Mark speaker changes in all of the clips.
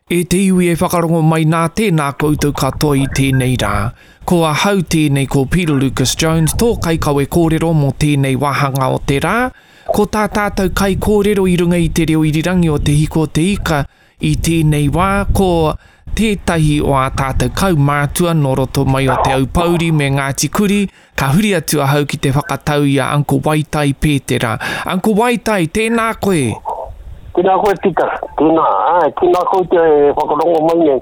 Speaker 1: E te iwi e whakarongo mai nā tēnā koutou katoa i tēnei rā. Ko ahau tēnei ko Peter Lucas Jones tō kaikawe kōrero mō tēnei wāhanga o te rā. Ko tā tātou kaikōrero i runga i te reo irirangi o Te Hiko o Te Ika i tēnei wā ko tētahi o ā tātou kaumātua nō roto mai o Te Aupōuri me Ngāti Kuri, ka huri atu ahau ki te whakatau i a Uncle Waitai Pētera. Uncle Waitai, tēnā koe!
Speaker 2: Tēnā koe Peter, tēnā, āe, tēnā koutou e whakarongo mai nei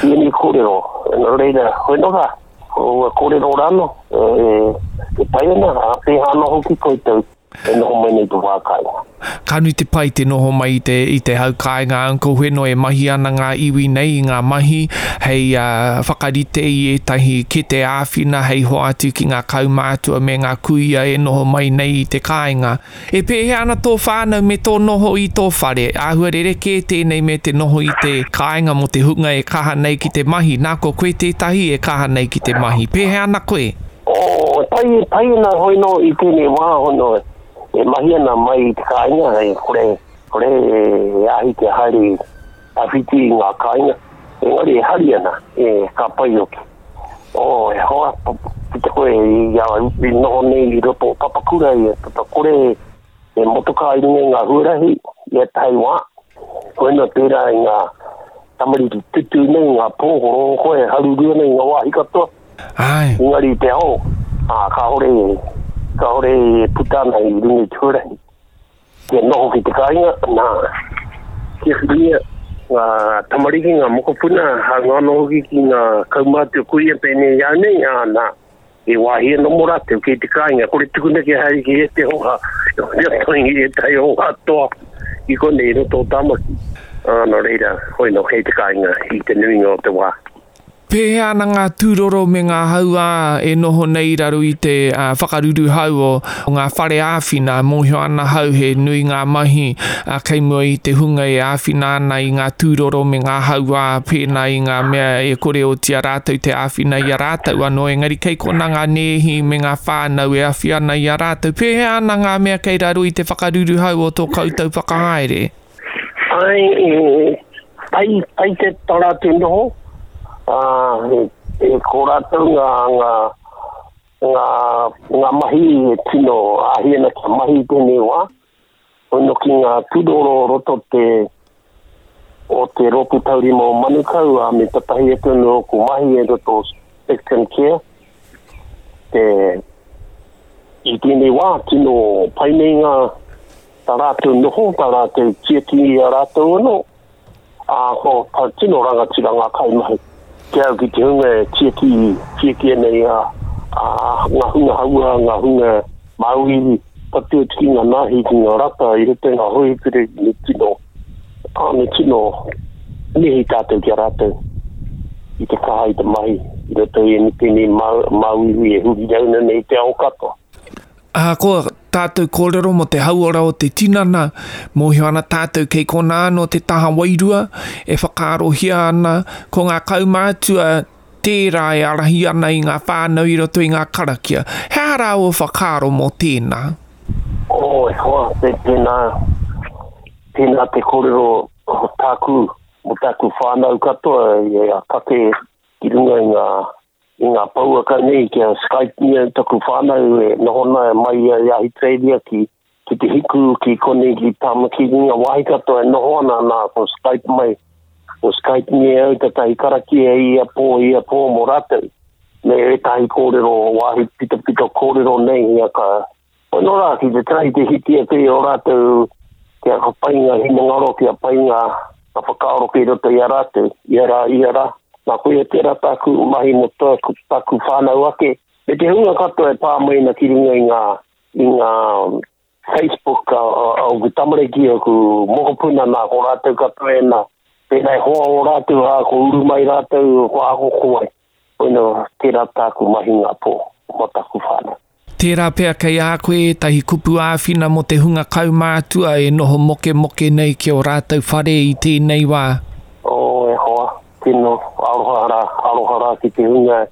Speaker 2: ki ēnei kōrero. Nō reira, hoi nō rā, ko ua kōrero rānō e pai ana, ā, pēhā anō hoki koutou. E noho mai nei te wā kāinga.
Speaker 1: Ka nui te pai te noho mai i te, i te hau kāinga Uncle Wheno e mahi ana ngā iwi nei i ngā mahi hei whakarite i ētahi kete āwhina hei hoatu ki ngā kaumātua me ngā kuia e noho mai nei i te kāinga. E pēhea ana tō whānau me tō noho i tō whare? Āhua rerekē tēnei me te noho i te kāinga mō te hunga e kaha nei ki te mahi. Nā, ko koe tētahi e kaha nei ki te mahi. Pēhea ana koe?
Speaker 2: Oh, pai, pai ana hoi no i tēnei wā hono e mahi ana mai i te kāinga, e kore, kore e āhi te haere tawhiti i ngā kāinga, engari e hari ana, e ka pai hoki. Oh, e hoa, ki te koe i a i noho nei i roto o Papakura, i a kore e motokā i runga i ngā huarahi, i ētahi wā, koina tērā i ngā tamariki tutū nei, ngā pōhoro koe, haruru ana i ngā wāhi katoa.
Speaker 1: Āe.
Speaker 2: Engari i te ao, ā, kāore, kāore e puta ana i runga i te huarahi. Kia noho ki te kāinga, nā, kia whiria ngā tamariki, ngā mokopuna, hāunga anō hoki ki ngā kaumātua kuia pēnei i au nei, ā, nā, he wāhi anō mō rātou kei te kāinga, kore tukuna kia haere ki ētahi oha, i ētahi oha toa i konei i roto o Tāmaki. Ā, nō reira, hoi nō kei te kāinga i te nuinga o te wā.
Speaker 1: Pēhea ana ngā tūroro me ngā hauā e noho nei i raro i te whakaruruhau o ngā whare āwhina? Mōhio ana hau he nui ngā mahi kei mua i te hunga e āwhina ana i ngā tūroro me ngā hauā pēnā i ngā mea e kore oti a rātou te āwhina i a rātou anō, engari kei konā ngā nēhi me ngā whānau e awhi ana i a rātou. Pēhea ana ngā mea kei raro i te whakaruruhau o tō koutou whakahaere?
Speaker 2: Ai, e, pai, pai te tā rātou noho, ā, e, e ko rātou ngā, ngā, ngā, ngā mahi e tino āhi ana kia mahi i tēnei wā, hono ki ngā tūroro o roto te, o te Rōpū Taurima o Manukau, ā, me tatahi atu anō ōku mahi e roto o Spectrum Care, te, i tēnei wā, tino pai nei ngā, tā rātou noho, tā rātou tiaki i a rātou anō, ā, ko ka tino rangatira ngā kaimahi. Ki au ki te hunga e tiaki, tiaki ana i a, a, ngā hunga hauā, ngā hunga māuiui, tatū atu ki ngā nāhi, ki ngā rata i roto i ngā hōhipere, me tino, ā, me tino mihi tātou ki a rātou i te kaha i te mahi i roto i tēnei māuiui e huri rauna nei te ao katoa.
Speaker 1: Ahakoa tātou kōrero mō te hauora o te tinana, mōhio ana tātou kei konā anō te taha wairua e whakaarohia ana, ko ngā kaumātua tērā e ārahi ana i ngā whānau i roto i ngā karakia. He aha rā ō whakaaro mō tēnā?
Speaker 2: Oh, e hoa, tēnā, tēnā te kōrero o tāku, mō tāku whānau katoa i a kake ki runga i ngā i ngā pouaka nei kia Skype-ngia taku whānau e noho ana mai i Ahitereiria ki, ki te hiku, ki konei, ki Tāmaki, ki ngā wāhi katoa e noho ana, nā, ko Skype mai, ko Skype-ngia au tētahi karakia i ia pō, i ia pō mō rātou, me ētahi kōrero wāhi pitopito kōrero nei, ia ka, Pono rā ki te try te hiki ake i ō rātou kia pai ngā hinengaro, kia pai ngā whakaaro kei roto i a rātou, ia rā, ia rā. Nā, koia tērā tāku mahi mō tāku, tāku whānau ake, me te hunga katoa e pā mai ana ki runga i ngā, i ngā Facebook a, a, a oku tamariki, oku mokopuna, nā, ko rātou katoa ēnā. Pēnā e hoa o rātou, ā, ko uru mai rātou, ko ako ko wai. Koina tērā tāku mahi ngā pō, mō taku whānau.
Speaker 1: Tērā pea kei a koe ētahi kupu āwhina mō te hunga kaumātua e noho mokemoke nei ki ō rātou whare i tēnei wā.
Speaker 2: Oh, e hoa, tino aroha rā, aroha rā ki te hunga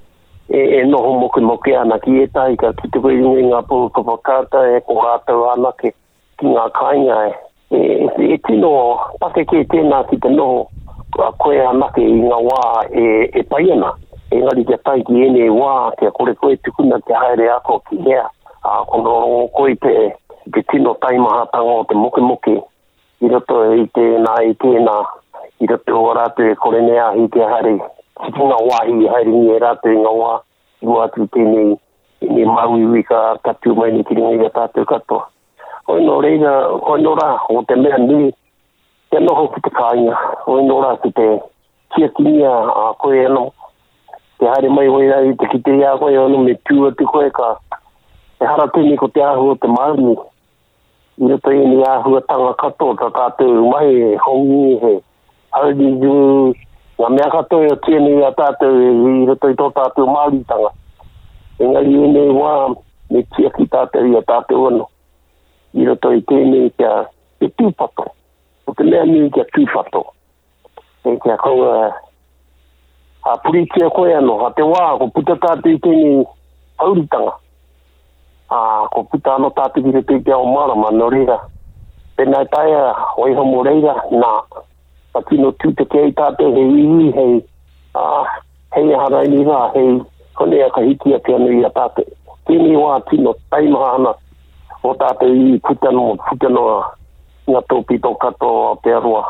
Speaker 2: e, e noho mokemoke ana ki ētahi ka kite koe i runga i ngā pouaka whakaata e ko rātou anake ki ngā kāinga e, e, e tino pakeke tēnā ki te noho. koe anake i ngā wā e, e pai ana. Engari kia tae ki ēnei wā, kia kore koe tukuna kia haere ako ki hea, ā, ko rongo koe i te, te tino taimahatanga o te mokemoke i roto i tēnā, i tēnā, i roto o rātou e kore nei āhi kia haere ki ngā wāhi i haerengia e rātou i ngā wā i mua atu i tēnei, tēnei māuiui ka, ka tū mai nei ki runga i a tātou katoa. Hoi nō reira, hoi nō rā, ko te mea nui, kia noho ki te kāinga, hoi nō rā ki te tiakingia a koe anō, te haere mai wai rā i te kite i a koe anō me tū atu koe ka, ehara tēnei ko te āhua o te Māori, i roto i ēnei āhuatanga katoa tā tātou mahi he hongi, he haururu, ngā mea katoa e oti ana i a tātou i roto i tō tātou Māoritanga. Engari i ēnei wā, me tiaki tātou i a tātou anō i roto i tēnei kia te tūpato. Ko te mea nui kia tūpato. E kia kaua a puritia koe anō. A te wā, ko puta tātou i tēnei hauritanga. Ā, ko puta anō tātou ki roto i te ao mārama, nō reira, pēnā e taea, waiho mō reira, nā, ka tino tūtaki ai tātou hei iwi, hei, ā, hei aha raini rā, hei konei a ka hiki ake anō i a tātou. Tēnei wā tino taimaha ana o tātou iwi puta noa, puta noa ngā tōpito katoa o Aotearoa,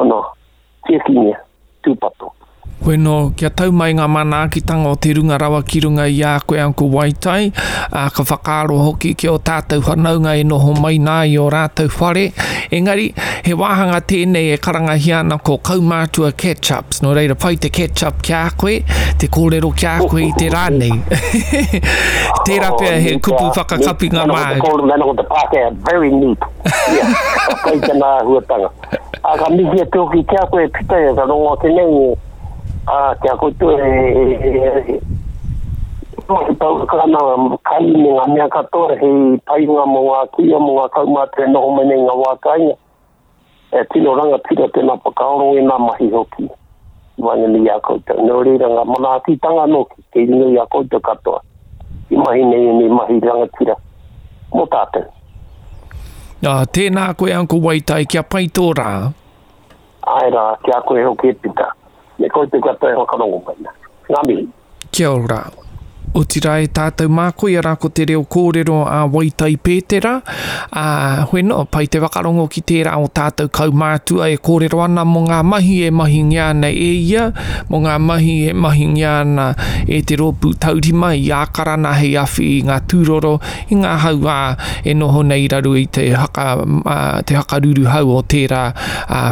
Speaker 2: ana, tiakingia, tūpato.
Speaker 1: Bueno, kia tau mai ngā manaakitanga o te runga rawa ki runga i a koe Uncle Waitai, ā, ka whakaaro hoki ki ō tātou whanaunga e noho mai nā i ō rātou whare. Engari, he wāhanga tēnei e karangahia ana ko Kaumātua Catch-ups, nō reira pai te catch-up ki a koe, te kōrero ki a koe i te rā nei. Tērā pea he kupu whakakapinga
Speaker 2: māu. Mēnā ko te Pākehā, very neat. Yeah, ka pai tana āhuatanga. Ā, ka mihi atu hoki ki a koe, Pita, ka rongo ake nei, ā, ki a koutou e, e, e, e pouaka ana kai me ngā mea katoa hei painga mō ngā kuia, mō ngā kaumātua e noho mai nei i ngā wā kāinga. E tino rangatira tēnā whakaaro, ēnā mahi hoki i waenganui i a koutou. Nō reira ngā manaakitanga nōki kei runga i a koutou katoa i mahi nei ēnei mahi rangatira mō tātou.
Speaker 1: Ā, tēnā koe Uncle Waitai, kia pai tō rā.
Speaker 2: Āe rā, ki a koe hoki e Pita, me koutou katoa e whakarongo mai na. Ngā mihi.
Speaker 1: Kia ora. Otirā e tātou mā, koia rā ko te reo kōrero a Waitai Pētera, ā, hoeno, pai te whakarongo ki tērā o tātou kaumātua e kōrero ana mō ngā mahi e mahingia ana e ia, mō ngā mahi e mahingia ana e te rōpū taurima i Ākarana hei awhi i ngā tūroro, i ngā hauā e noho nei i raro i te haka, te hakaruruhau o tērā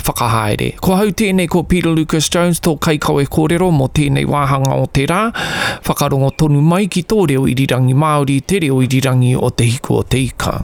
Speaker 1: whakahaere. Ko hau tēnei ko Peter Lucas Jones tō kaikawe kōrero mō tēnei wāhanga o te rā. Whakarongo tonu mai ki tō reo irirangi Māori, te reo irirangi o Te Hiku o Te Ika.